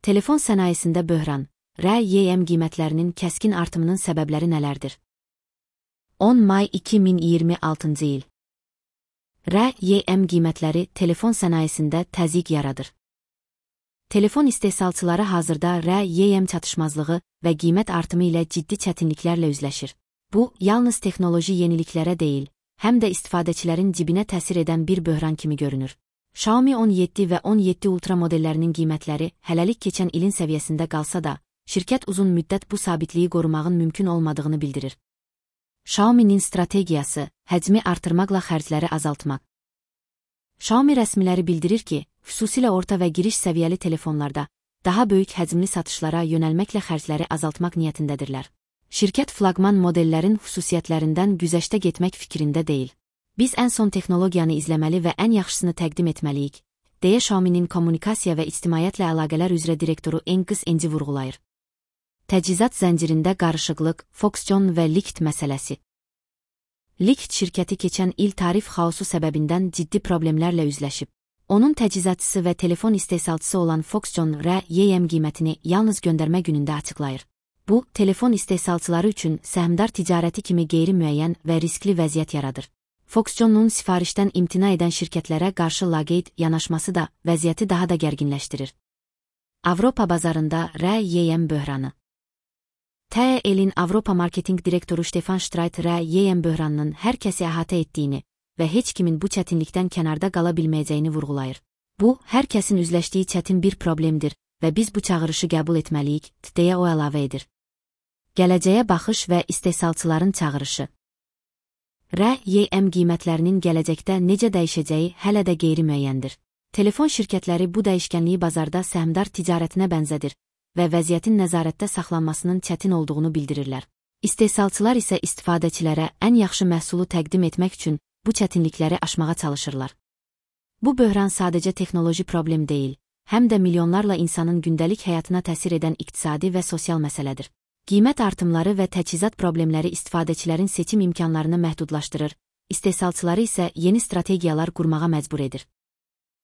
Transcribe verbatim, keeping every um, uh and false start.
Telefon sənayesində böhran, R Y M qiymətlərinin kəskin artımının səbəbləri nələrdir? on may iki min iyirmi altıncı il. R Y M qiymətləri telefon sənayesində təzyiq yaradır. Telefon istehsalçıları hazırda R Y M çatışmazlığı və qiymət artımı ilə ciddi çətinliklərlə üzləşir. Bu, yalnız texnoloji yeniliklərə deyil, həm də istifadəçilərin cibinə təsir edən bir böhran kimi görünür. Xiaomi on yeddi və on yeddi Ultra modellərinin qiymətləri hələlik keçən ilin səviyyəsində qalsa da, şirkət uzun müddət bu sabitliyi qorumağın mümkün olmadığını bildirir. Xiaomi'nin strategiyası, həcmi artırmaqla xərcləri azaltmaq. Xiaomi rəsmiləri bildirir ki, xüsusilə orta və giriş səviyyəli telefonlarda daha böyük həcmli satışlara yönəlməklə xərcləri azaltmaq niyyətindədirlər. Şirkət flaqman modellərin xüsusiyyətlərindən güzəştə getmək fikrində deyil. Biz ən son texnologiyanı izləməli və ən yaxşısını təqdim etməliyik, deyə Xiaomi'nin kommunikasiya və ictimaiyyətlə əlaqələr üzrə direktoru Angus Ng vurğulayır. Təchizat zəncirində qarışıqlıq, Foxconn və Liqt məsələsi. Liqt şirkəti keçən il tarif xaosu səbəbindən ciddi problemlərlə üzləşib. Onun təchizatçısı və telefon istehsalçısı olan Foxconn R Y M qiymətini yalnız göndərmə günündə açıqlayır. Bu, telefon istehsalçıları üçün səhmdar ticarəti kimi qeyri-müəyyən və riskli vəziyyət yaradır. Foxconn'un sifarişdən imtina edən şirkətlərə qarşı laqeyd yanaşması da vəziyyəti daha da gərginləşdirir. Avropa bazarında R Y M böhranı. T E L'in Avropa marketinq direktoru Stefan Streit R Y M böhranının hər kəsi əhatə etdiyini və heç kimin bu çətinlikdən kənarda qala bilməyəcəyini vurğulayır. Bu, hər kəsin üzləşdiyi çətin bir problemdir və biz bu çağırışı qəbul etməliyik, deyə o əlavə edir. Gələcəyə baxış və istehsalçıların çağırışı. R Y M qiymətlərinin gələcəkdə necə dəyişəcəyi hələ də qeyri-müəyyəndir. Telefon şirkətləri bu dəyişkənliyi bazarda səhmdar ticarətinə bənzədir və vəziyyətin nəzarətdə saxlanmasının çətin olduğunu bildirirlər. İstehsalçılar isə istifadəçilərə ən yaxşı məhsulu təqdim etmək üçün bu çətinlikləri aşmağa çalışırlar. Bu böhran sadəcə texnoloji problem deyil, həm də milyonlarla insanın gündəlik həyatına təsir edən iqtisadi və sosial məsələdir. Qiymət artımları və təchizat problemləri istifadəçilərin seçim imkanlarını məhdudlaşdırır, istehsalçıları isə yeni strategiyalar qurmağa məcbur edir.